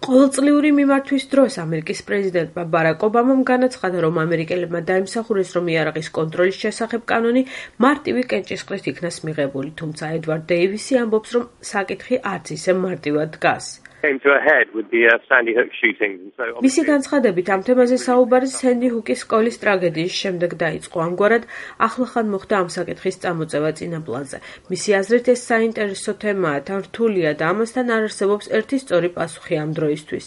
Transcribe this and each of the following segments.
ყოველწლიური მიმართვის დროს ამერიკის პრეზიდენტმა ბარაკ ობამამ განაცხადა, რომ ამერიკელებმა დაიმსახურეს, რომ იარაღის კონტროლის შესახებ კანონი მარტივი კენჭისყრით იქნას მიღებული, თუმცა ედვარდ დეივისი ამბობს, რომ საკითხი არც ისე მარტივად დგას. მისი განცხადებით ამ თემაზე საუბარი სენდი ჰუკის სკოლის ტრაგედიის შემდეგ დაიწყო. ამგვარად, ახლახან მოხდა ამ საკითხის წამოწევა წინა პლანზე. მისი აზრით, ეს საინტერესო თემაა, თან რთულია და ამასთან არ არსებობს ერთი სწორი პასუხი ამ დროისთვის.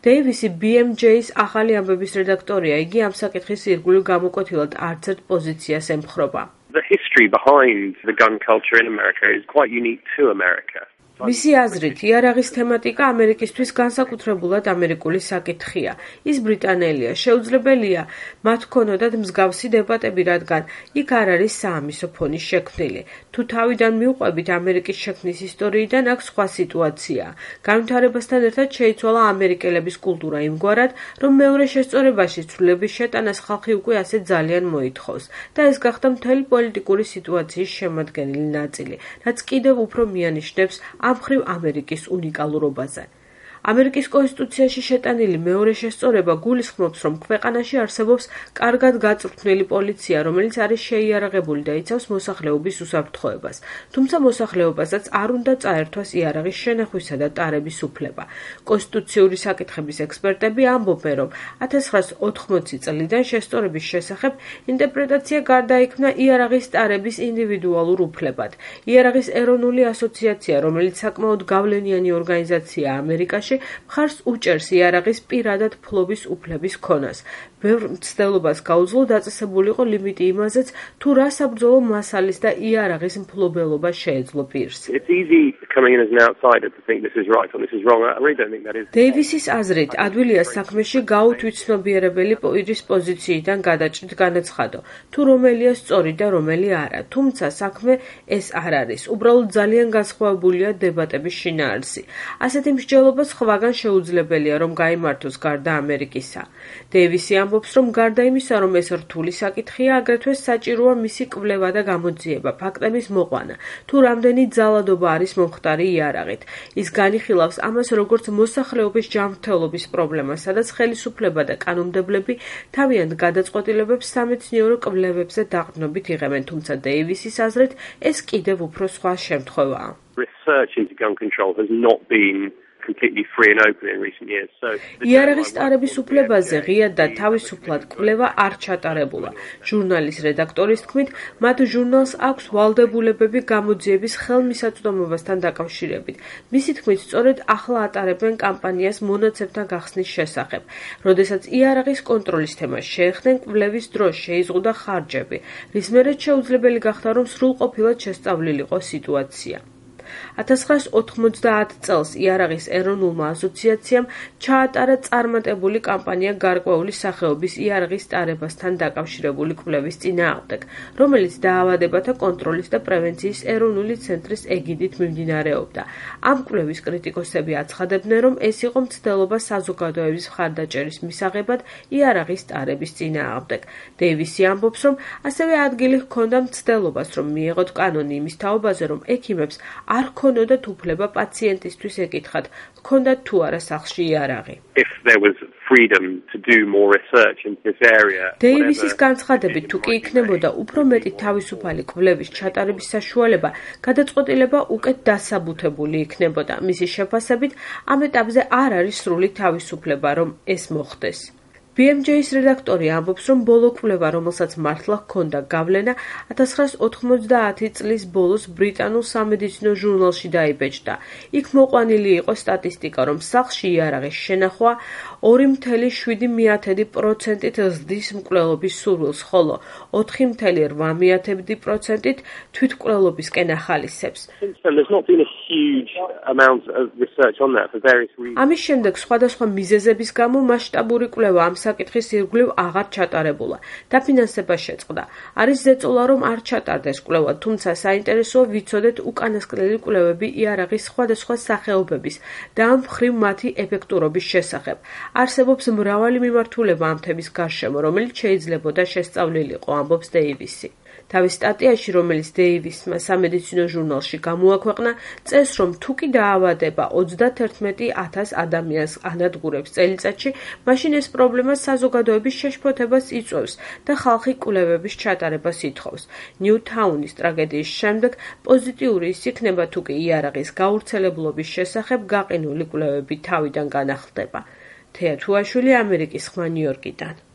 დეივისი BMJ-ის ახალი ამბების რედაქტორია. იგი ამ საკითხის ირგვლივ გამოკვეთილად არც ერთ პოზიციას ემხრობა. The history behind the gun culture in America is quite unique to America. მისი აზრით, იარაღის თემატიკა ამერიკისთვის განსაკუთრებულად ამერიკული საკითხია. ის ბრიტანელია, შეუძლებელია მათ ჰქონოდათ მსგავსი დებატები, რადგან იქ არ არის საამისო ფონის შექმნილი. თუ თავიდან მივყვებით ამერიკის შექმნის ისტორიიდან, აქ სხვა სიტუაციაა. განვითარებასთან ერთად შეიცვალა ამერიკელების კულტურა იმგვარად, რომ მეორე შესწორებაში ცვლილების შეტანას ხალხი უკვე ასე ძალიან მოითხოვს და ეს გახდა მთელი პოლიტიკური სიტუაციის შემადგენელი ნაწილი, რაც კიდევ უფრო მიანიშნებს ამ მხრივ ამერიკის უნიკალურობაზე. ამერიკის კონსტიტუციაში შეტანილი მეორე შესწორება გულისხმობს, რომ ქვეყანაში არსებობს კარგად გაწვრთნილი პოლიცია, რომელიც არის შეიარაღებული და იცავს მოსახლეობის უსაფრთხოებას. თუმცა მოსახლეობასაც არ უნდა წაერთვას იარაღის შენახვისა და ტარების უფლება. კონსტიტუციური საკითხების ექსპერტები ამბობენ, რომ 1980 წლიდან შესწორების შესახებ ინტერპრეტაცია გარდაიქმნა იარაღის ტარების ინდივიდუალურ უფლებად. იარაღის ეროვნული ასოციაცია, რომელიც საკმაოდ გავლენიანი ორგანიზაცია ამერიკაში, მხარს უჭერს იარაღის პირადად ფლობის უფლების ქონას. ბევრ მცდელობას გაუძლო დაწესებულიყო ლიმიტი იმაზეც, თუ რა საბრძოლო მასალის და იარაღის მფლობელობა შეეძლო პირს. დეივისის აზრით, ადვილია საქმეში გაუთვითცნობიერებელი პირის პოზიციიდან გადაჭრით განაცხადო, თუ რომელია სწორი და რომელი არა. თუმცა საქმე ეს არ არის. უბრალოდ ძალიან განსხვავებულია დებატების შინაარსი. ასეთი მსჯელობა სხვაგან შეუძლებელია, რომ გაიმართოს გარდა ამერიკისა. დეივისი ამბობს, რომ გარდა იმისა, რომ ეს რთული საკითხია, აგრეთვე საჭიროა მისი კვლევა და გამოძიება, ფაქტების მოყვანა, თუ რამდენი ძალადობა არის მომხდარი იარაღით. ის განიხილავს ამას როგორც მოსახლეობის ჯანმრთელობის პრობლემას, სადაც ხელისუფლება და კანონმდებლები თავიანთ გადაწყვეტილებებს სამეცნიერო კვლევებზე დაყრდნობით იღებენ, თუმცა დეივისის აზრით, ეს კიდევ უფრო სხვა შემთხვევაა. Research into gun control has not been completely free and open in recent years. იარაღის ტარების უფლებაზე ღიად და თავისუფლად კვლევა არ ჩატარებულა. ჟურნალის რედაქტორის თქმით, მათ ჟურნალს აქვს ვალდებულებები გამოძიების ხელმისაწვდომობასთან დაკავშირებით. მისი თქმით, სწორედ ახლა ატარებენ კამპანიას მონაცემთა გახსნის შესახებ. როდესაც იარაღის კონტროლის თემას შეეხდნენ, კვლევის დროს შეიზღუდა ხარჯები, რის მერეც შეუძლებელი გახდა, რომ სრულყოფილად შესწავლილიყო სიტუაცია. 1990 წელს იარაღის ეროვნულმა ასოციაციამ ჩაატარა წარმატებული კამპანია გარკვეული სახეობის იარაღის ტარებასთან დაკავშირებული კვლევის წინააღმდეგ, რომელიც დაავადებათა კონტროლის და პრევენციის ეროვნული ცენტრის ეგიდით მიმდინარეობდა. ამ კვლევის კრიტიკოსები აცხადებდნენ, რომ ეს იყო მცდელობა საზოგადოების მხარდაჭერის მისაღებად იარაღის ტარების წინააღმდეგ. დეივისი ამბობს, რომ ასევე ადგილი ჰქონდა მცდელობას, რომ მიეღოთ კანონი იმის თაობაზე, რომ ექიმებს არ ჰქონოდათ უფლება პაციენტისთვის ეკითხათ, ჰქონდათ თუ არა სახლში იარაღი. დეივისის განცხადებით, თუ კი იქნებოდა უფრო მეტი თავისუფალი კვლევის ჩატარების საშუალება, გადაწყვეტილება უკეთ დასაბუთებული იქნებოდა. მისი შეფასებით, ამ ეტაპზე არ არის სრული თავისუფლება, რომ ეს მოხდეს. BMJ-ის რედაქტორი ამბობს, რომ ბოლო კვლევა, რომელსაც მართლა ჰქონდა გავლენა, 1990 წლის ბოლოს ბრიტანულ სამედიცინო ჟურნალში დაიბეჭდა. იქ მოყვანილი იყო სტატისტიკა, რომ სახლში იარაღის შენახვა 2,7%-ით ზრდის მკვლელობის სურვილს, ხოლო 4,8%-ით თვითმკვლელობისკენ ახალისებს. ამის შემდეგ სხვადასხვა მიზეზების გამო მასშტაბური კვლევა ამ საკითხის ირგვლივ აღარ ჩატარებულა. დაფინანსება შეწყდა. არის ზეწოლა, რომ არ ჩატარდეს კვლევა, თუმცა საინტერესოა ვიცოდეთ უკანასკნელი კვლევები იარაღის სხვადასხვა სახეობების და ამ მხრივ მათი ეფექტურობის შესახებ. არსებობს მრავალი მიმართულება ამ თემის გარშემო, რომელიც შეიძლებოდა შესწავლილიყო, ამბობს დეივისი. თავის სტატიაში, რომელიც დეივისმა სამედიცინო ჟურნალში გამოაქვეყნა, წეს, რომ თუ კი დაავადება 31,000 ადამიანს ანადგურებს წელიწადში, მაშინ ეს პრობლემა საზოგადოების შეშფოთებას იწვევს და ხალხი კვლევების ჩატარებას ითხოვს. ნიუთაუნის ტრაგედიის შემდეგ პოზიტიური ის იქნება, თუ კი იარაღის გავრცელებლობის შესახებ გაყინული კვლევები თავიდან განახლდება. თეა თუაშვილი, ამერიკის ხმა, ნიუ-იორკიდან.